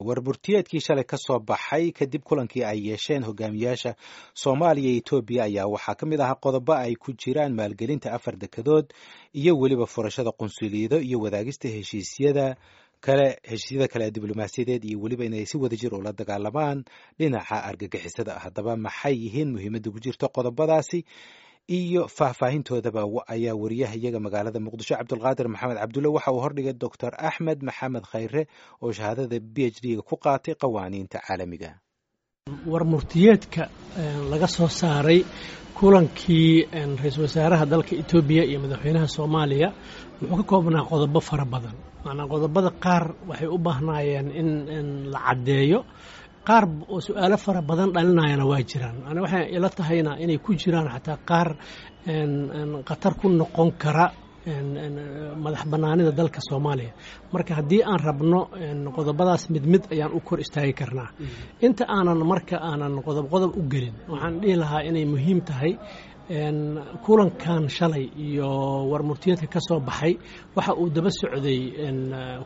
Warburtiyeedkii shalay ka soo baxay kadib kulankii ay yeesheen hogaamiyaasha Soomaaliya iyo Etoobiya ayaa waxaa ka mid ahaa qodobo ay ku jiraan maalgelinta afar dekedood iyo weliba furashada qunsuliyado iyo wadaagista heshiisyada kale heshiisyada kale ee diblomaasiyadeed iyo weliba inay si wadajir ula dagaalamaan dhinaca argagixisada. Haddaba maxay yihiin muhiimadda ku jirta qodobadaasi iyo faahfaahintoodaba ayaa wariyaha iyaga magaalada Muqdisho Cabdulqaadir Maxamed Cabdulle waxa uu hordhigay Doctor Axmed Maxamed Khayre oo shahaadada PhD-ga ku qaatay qawaaniinta caalamiga. War murtiyeedka laga soo saaray kulankii ra-iisul wasaaraha dalka Etoobiya iyo madaxweynaha Soomaaliya wuxuu ka koobnaa qodobo fara badan. Macnaa, qodobada qaar waxay u baahnaayeen in la caddeeyo, qaar oo su-aalo fara badan dhalinayana waa jiraan. Ani waxay ila tahayna inay ku jiraan xataa qaar khatar ku noqon kara madax bannaanida dalka Soomaaliya. Marka haddii aan rabno, qodobadaas mid mid ayaan u kor istaagi karnaa. Inta aanan marka aanan qodob qodob u gelin, waxaan dhihi lahaa inay muhiim tahay kulankan shalay iyo warmurtiyeedka ka soo baxay waxa uu daba socday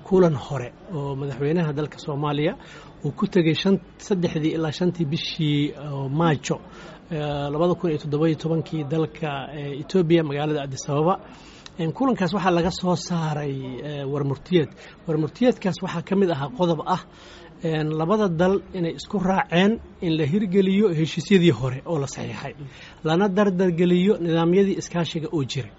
kulan hore oo madaxweynaha dalka Soomaaliya uu ku tegey 3dii ilaa 5tii bishii Maajo 2017kii dalka Etoobiya, magaalada Addis Ababa. Kulankaas waxaa laga soo saaray warmurtiyeed. Warmurtiyeedkaas waxaa ka mid ahaa qodob ah labada dal inay isku raaceen in la hirgeliyo heshiisyadii hore oo la saxiixay, lana dardargeliyo nidaamyadii iskaashiga oo jiray.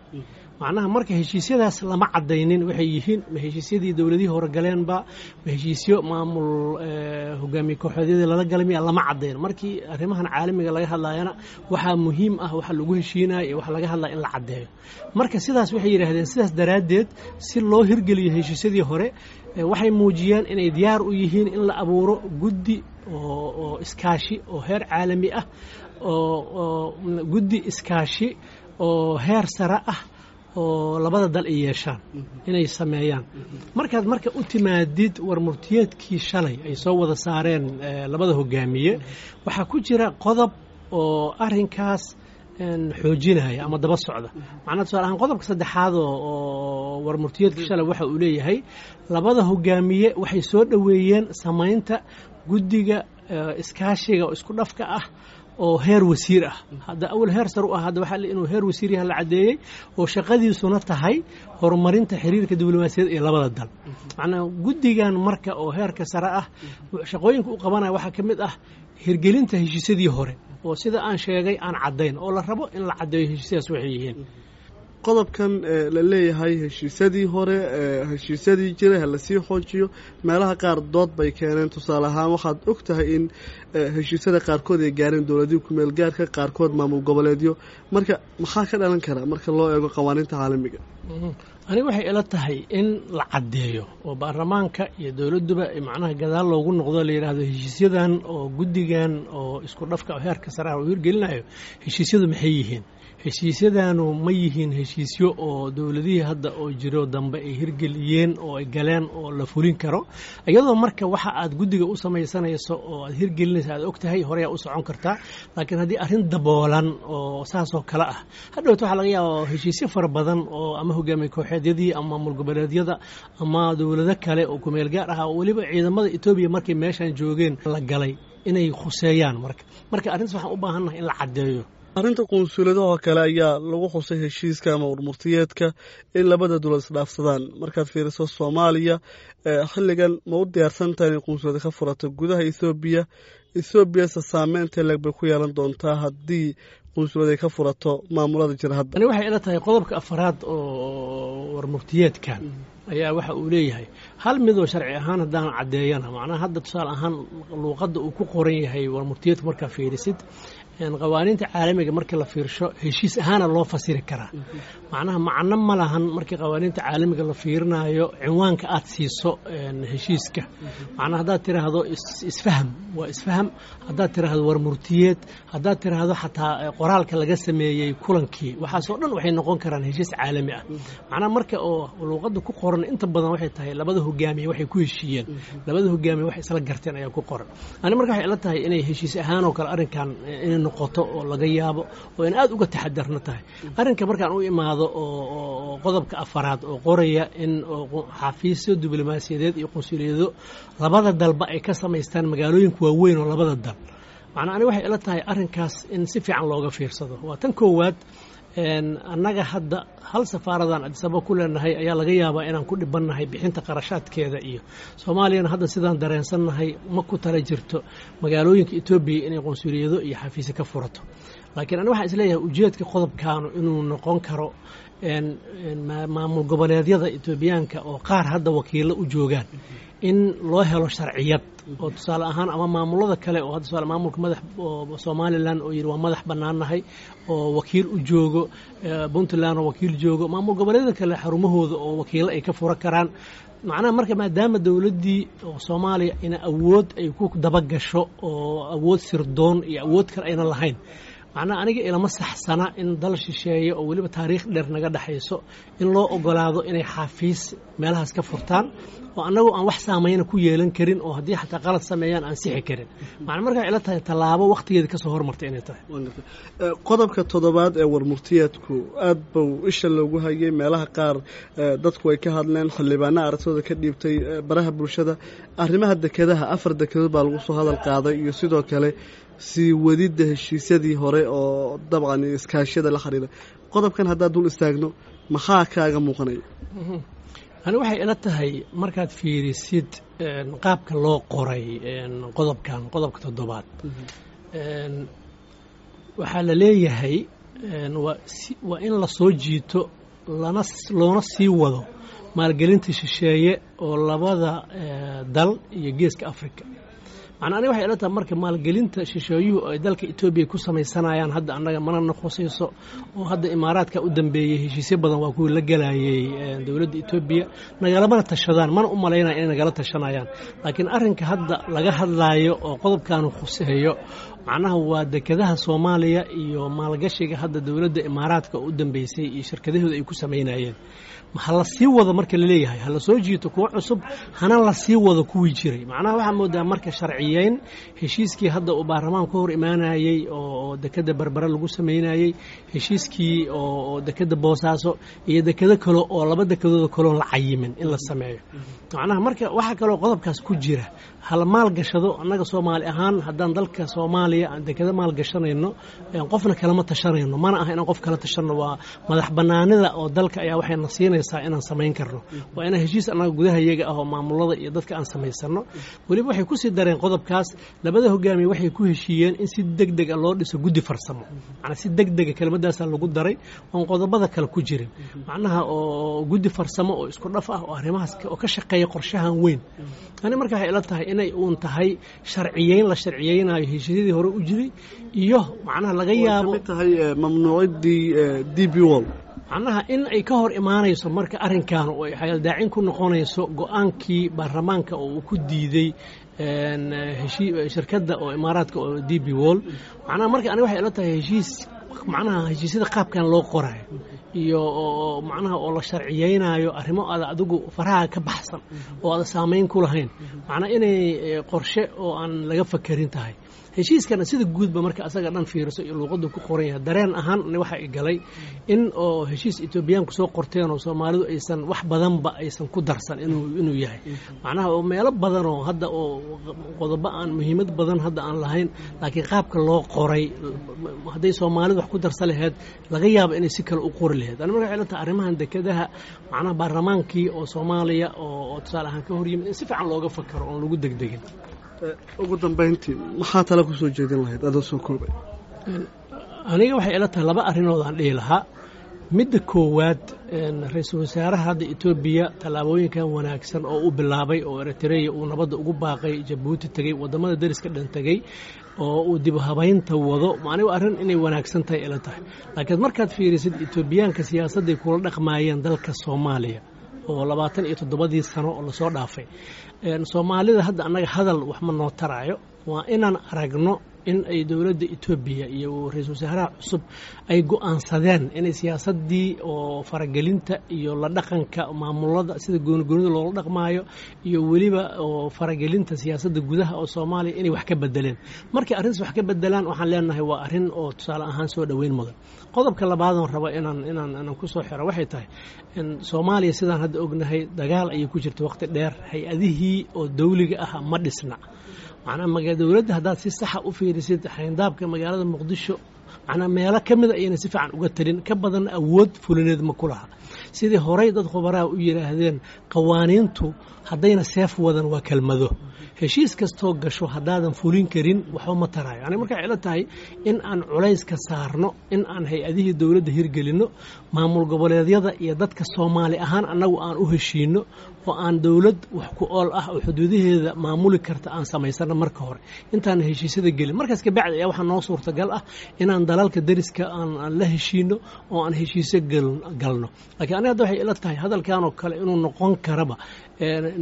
Macnaha, marka heshiisyadaas lama caddaynin waxay yihiin. Ma heshiisyadii dowladihii hore galeenba? Ma heshiisyo maamul hogaamiye kooxeedyadii lala galay miya? Lama caddayn. Markii arrimahan caalamiga laga hadlayana, waxaa muhiim ah waxa lagu heshiinayo iyo waxa laga hadlaya in la caddeeyo. Marka sidaas waxay yidhaahdeen, sidaas daraaddeed, si loo hirgeliyo heshiisyadii hore, waxay muujiyeen inay diyaar u yihiin in la abuuro guddi oo iskaashi oo heer caalami ah, oo guddi iskaashi oo heer sare ah oo labada dal ay yeeshaan inay sameeyaan. Markaad marka u timaadid warmurtiyeedkii shalay ay soo wada saareen labada hogaamiye, waxaa ku jira qodob oo arrinkaas xoojinaya ama daba socda. Macnaa, tusaale ahaan, qodobka saddexaad oo warmurtiyeedka shalay waxa uu leeyahay: labada hogaamiye waxay soo dhoweeyeen samaynta guddiga iskaashiga oo isku dhafka ah oo heer wasiir ah. Hadda awal heer sar u ah, hadda waxaa inuu heer wasiir yaha la caddeeyey, oo shaqadiisuna tahay horumarinta xiriirka diblomaasiyaed ee labada dal. Macnaa, guddigan marka oo heerka sare ah shaqooyinka u qabanaya waxaa ka mid ah hirgelinta heshiisyadii hore oo sida aan sheegay aan caddayn, oo la rabo in la caddeeyo heshiisyadaas waxay yihiin. Qodobkan la leeyahay heshiisyadii hore, heshiisyadii jiray ha lasii xoojiyo, meelaha qaar dood bay keeneen. Tusaale ahaan, waxaad og tahay in heshiisyada qaarkood ay gaareen dowladihii kumeel gaarka, qaarkood maamul goboleedyo. Marka maxaa ka dhalan kara marka loo eego qawaaniinta caalamiga? Aniga waxay ila tahay in la caddeeyo oo baarlamaanka iyo dowladduba macnaha gadaal loogu noqdo, la yidhaahdo heshiisyadan oo guddigan oo isku dhafka oo heerka sare ah uu hirgelinayo, heshiisyadu maxay yihiin? Heshiisyadanu ma yihiin heshiisyo oo dowladihii hadda oo jiro dambe ay hirgeliyeen oo ay galeen oo la fulin karo? Iyadoo marka waxa aad guddiga u samaysanayso oo aad hirgelinayso aad og tahay, horeyaa u socon kartaa. Laakiin haddii arrin daboolan oo saasoo kale ah, hadhowta waxaa laga yaaba heshiisyo fara badan oo ama hogaamiye kooxeedyadii ama maamul goboleedyada ama dowlado kale oo kumeel gaar ah oo weliba ciidamada Etoobiya markay meeshan joogeen la galay inay khuseeyaan. Marka arrintaas waxaan u baahannahay in la caddeeyo. Arrinta qunsuuliyadahoo kale ayaa lagu xusay heshiiska ama warmurtiyeedka in labada dowlad isdhaafsadaan. Markaad fiiriso, Soomaaliya xilligan ma u diyaarsan tahay inay qunsuliyada ka furato gudaha Ethoobiya? Ethoobiya se saameynta leeg bay ku yeelan doontaa haddii qunsuliyad ay ka furato maamulada jira hadda? Ani waxay ila tahay qodobka afaraad oo warmurtiyeedkan ayaa waxa uu leeyahay hal midoo sharci ahaan haddaan caddeeyana. Macnaha, hadda tusaale ahaan luuqadda uu ku qoran yahay warmurtiyeedka markaa fiirisid, qawaaniinta caalamiga markii la fiirsho, heshiis ahaana loo fasiri karaa. Macnaha, macno ma lahan markii qawaaniinta caalamiga la fiirinayo cinwaanka aad siiso heshiiska. Macnaha, haddaad tiraahdo isfaham, waa isfaham. Haddaad tiraahdo warmurtiyeed, haddaad tiraahdo xataa qoraalka laga sameeyey kulankii, waxaasoo dhan waxay noqon karaan heshiis caalami ah. Macnaha, marka oo luuqadda ku qoran inta badan waxay tahay labada hogaamiye waxay ku heshiiyeen, labada hogaamiye waxay isla garteen ayaa ku qoran. Ani marka waxay ila tahay inay heshiis ahaan oo kale arrinkan inay noqoto oo laga yaabo oo in aad uga taxadarno tahay arrinka. Markaan u imaado oo qodobka afaraad oo qoraya in xafiisyo diblomaasiyadeed iyo qunsuliyado labada dalba ay ka samaystaan magaalooyinka waaweyn oo labada dal, macnaa aniga waxay ila tahay arrinkaas in si fiican looga fiirsado. Waa tan koowaad, annaga hadda hal safaaradan Addis Ababa ku leenahay ayaa laga yaabaa inaan ku dhibannahay bixinta qarashaadkeeda, iyo Soomaaliyana hadda sidaan dareensannahay ma ku tala jirto magaalooyinka Etoobiya inay qunsuliyado iyo xafiisyo ka furato. Laakiin aniga waxaan isleeyahay ujeedka qodobkaanu inuu noqon karo maamul goboleedyada Etoobiyaanka oo qaar hadda wakiillo u joogaan in loo helo sharciyad, oo tusaale ahaan ama maamulada kale oo hadda tusaale maamulka madax oo Somaliland oo yidhi waa madax bannaannahay oo wakiil u joogo, Puntland oo wakiil joogo, maamul goboleedyada kale xarumahooda oo wakiillo ay ka fura karaan. Macnaha marka maadaama dowladdii oo Soomaaliya ina awood ay ku dabagasho oo awood sirdoon iyo awood kale ayna lahayn, macnaha aniga ilama saxsana in dal shisheeye oo weliba taariikh dheer naga dhexayso in loo ogolaado inay xafiis meelahaas ka furtaan oo annagoo aan wax saamayna ku yeelan karin, oo haddii xataa qalad sameeyaan aan sixi karin. Macna markaa ila tahay tallaabo wakhtigeeda kasoo hormartay inay tahay. Qodobka toddobaad ee warmurtiyeedku aad buu isha loogu hayay, meelaha qaar dadku ay ka hadleen, xildhibaana aragtooda ka dhiibtay baraha bulshada. Arrimaha dekedaha, 4 dekedood baa lagu soo hadal qaaday, iyo sidoo kale sii wadidda heshiisyadii hore oo dabcan iskaashyada la xiriira. Qodobkan haddaad dul istaagno, maxaa kaaga muuqanaya? Ani waxay ila tahay markaad fiirisid qaabka loo qoray qodobkan, qodobka toddobaad, waxaa la leeyahay waa in la soo jiito lana loona sii wado maalgelinta shisheeye oo labada dal iyo Geeska Africa. Macnaa aniga waxay ila tahay marka maalgelinta shisheeyuhu ay dalka Etoobiya ku samaysanayaan hadda annaga mana noqosayso, oo hadda Imaaraadka u dambeeyey heshiisyo badan waa kuwii la gelayay dowladda Etoobiya, nagalamana tashadaan, mana u malaynaya inay nagala tashanayaan. Laakiin arrinka hadda laga hadlaayo oo qodobkaanu khuseeyo macnaha waa dekedaha Soomaaliya iyo maalgashiga hadda dowladda Imaaraadka oo u dambeysay iyo shirkadahooda ay ku samaynayeen. Ha la sii wado marka laleeyahay, ha la soo jiito kuwo cusub, hana la sii wado kuwii jiray. Macnaha waxaa moodaa marka sharciyeyn heshiiskii hadda uu baarlamaan ka hor imaanayey oo dekeda Berbere lagu samaynayey, heshiiskii oo dekeda Boosaaso iyo dekedo kale oo laba dekedooda kaloon la cayimin in la sameeyo. Macnaha marka waxaa kaloo qodobkaas ku jira hala maalgashado. Annaga Soomaali ahaan haddaan dalka Soomaaliya aan dekeda maalgashanayno, qofna kalama tashanayno, mana aha inaan qof kala tashanno. Waa madax bannaanida oo dalka ayaa waxayna siinaysaa inaan samayn karno, waa inaan heshiis annaga gudaha iyaga ah oo maamulada iyo dadka aan samaysano. Weliba waxay kusii dareen qodobkaas, labada hogaamiye waxay ku heshiiyeen in si deg deg a loo dhiso guddi farsamo. Macnaa si deg dega kelmadaasaa lagu daray oon qodobada kale ku jirin, macnaha oo guddi farsamo oo isku dhaf ah oo arrimahaas oo ka shaqeeya qorshahan weyn. Ani marka waxay ila tahay inay uun tahay sharciyeyn la sharciyeynayo heshiisyadii hore u jiray iyo macnaha laga yaabo kamid tahay mamnuuciddii DP World, macnaha in ay ka hor imaanayso marka arrinkan oo ay xayaldaacin ku noqonayso go-aankii baarlamaanka oo uu ku diiday shirkadda oo Imaaraadka oo DP World. Macnaha marka aniga waxay ila tahay heshiis, macnaha heshiisyada qaabkan loo qorayo iyo macnaha oo la sharciyeynayo arrimo aada adigu faraha ka baxsan oo aada saamayn ku lahayn, macnaa inay qorshe oo aan laga fakerin tahay. Heshiiskana sida guudba marka asaga dhan fiiriso iyo luuqadu ku qoran yahay, dareen ahaan waxa i galay in oo heshiis Etoobiyaanku soo qorteen oo Soomaalidu aysan wax badanba aysan ku darsan inuu yahay, macnaha oo meelo badan oo hadda oo qodobo aan muhiimad badan hadda aan lahayn, laakiin qaabka loo qoray hadday Soomaalidu wax ku darsan laheyd laga yaabo inay si kale u qori laheyd. Ani marka waxay la tahay arrimahan dekedaha, macnaha baarlamaankii oo Soomaaliya oo tusaale ahaan ka hor yimid, in si fiican looga fakaro oon lagu degdegin. Ugu dambayntii, maxaa tala ku soo jeedin lahayd adoo soo koobay? Aniga waxay ila tahay laba arrinood aan dhihi lahaa. Midda koowaad, ra-iisul wasaaraha hadda Etoobiya tallaabooyinkan wanaagsan oo u bilaabay oo Eritreya uu nabadda ugu baaqay, Jabuuti tegey, waddamada deriska dhan tegey, oo uu dib habaynta wado, anigu arrin inay wanaagsan tahay ila tahay. Laakiin markaad fiirisid Etoobiyaanka siyaasadday kula dhaqmaayeen dalka Soomaaliya oo 27dii sano oo lasoo dhaafay, Soomaalida hadda annaga hadal wax ma noo taraayo. Waa inaan aragno In ay dowladda Etoobiya iyo ra-iisul wasaaraha cusub ay go'aansadeen inay siyaasaddii oo faragelinta iyo la dhaqanka maamulada sida goonigoonida loola dhaqmaayo iyo weliba oo faragelinta siyaasadda gudaha oo Soomaaliya inay wax ka bedeleen. Markay arrintaas wax ka bedelaan, waxaan leenahay waa arrin oo tusaale ahaan soo dhoweyn mudan. Qodobka labaadoon rabo inaan ku soo xiro waxay tahay in Soomaaliya, sidaan hadda ognahay, dagaal ayay ku jirta waqti dheer. Hay-adihii oo dawliga ah ma dhisna. Macnaa dowladda haddaad si saxa u fiirisid xayndaabka magaalada Muqdisho, macnaa meelo ka mida ayayna si fiican uga talin, ka badan awood fulineed ma ku laha. Sidii horey dad khubaraha u yidhaahdeen, qawaaniintu haddayna seef wadan waa kelmado. Heshiis kastoo gasho haddaadan fulin karin, waxba ma taraayo. Yani markay ila tahay in aan culayska saarno in aan hay-adihii dowladda hirgelinno, maamul goboleedyada iyo dadka Soomaali ahaan annagu aan u heshiino oo aan dowlad wax ku ool ah oo xuduudaheeda maamuli karta aan samaysano marka hore intaan heshiisyada gelin. Markaas kabacdi ayaa waxaa noo suurtagal ah inaan dalalka deriska aan la heshiino oo aan heshiisyo galno. Laakiin aniga hadda waxay ila tahay hadalkan oo kale inuu noqon karaba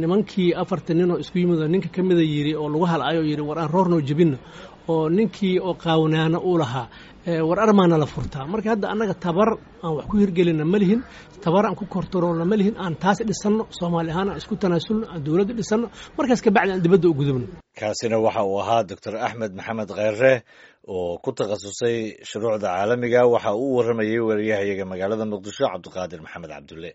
nimankii afartan nin oo isku yimid oo ninka ka mida yidhi oo lagu halcayo yidhi, "War aan roornoo jebinno," oo ninkii oo qaawnaana uu lahaa, "War armaana la furtaa." Marka hadda annaga tabar aan wax ku hirgelina ma lihin, tabar aan ku kortaroolna ma lihin. Aan taas dhisanno, Soomaali ahaan aan isku tanaasulno, aan dowladda dhisanno, markaas kabacdi aan dibadda u gudubno. Kaasina waxa uu ahaa Doctor Axmed Maxamed Kheyre oo ku takhasusay shuruucda caalamiga. Waxa uu u warramayey wariyahayaga magaalada Muqdisho, Cabdiqaadir Maxamed Cabdulle.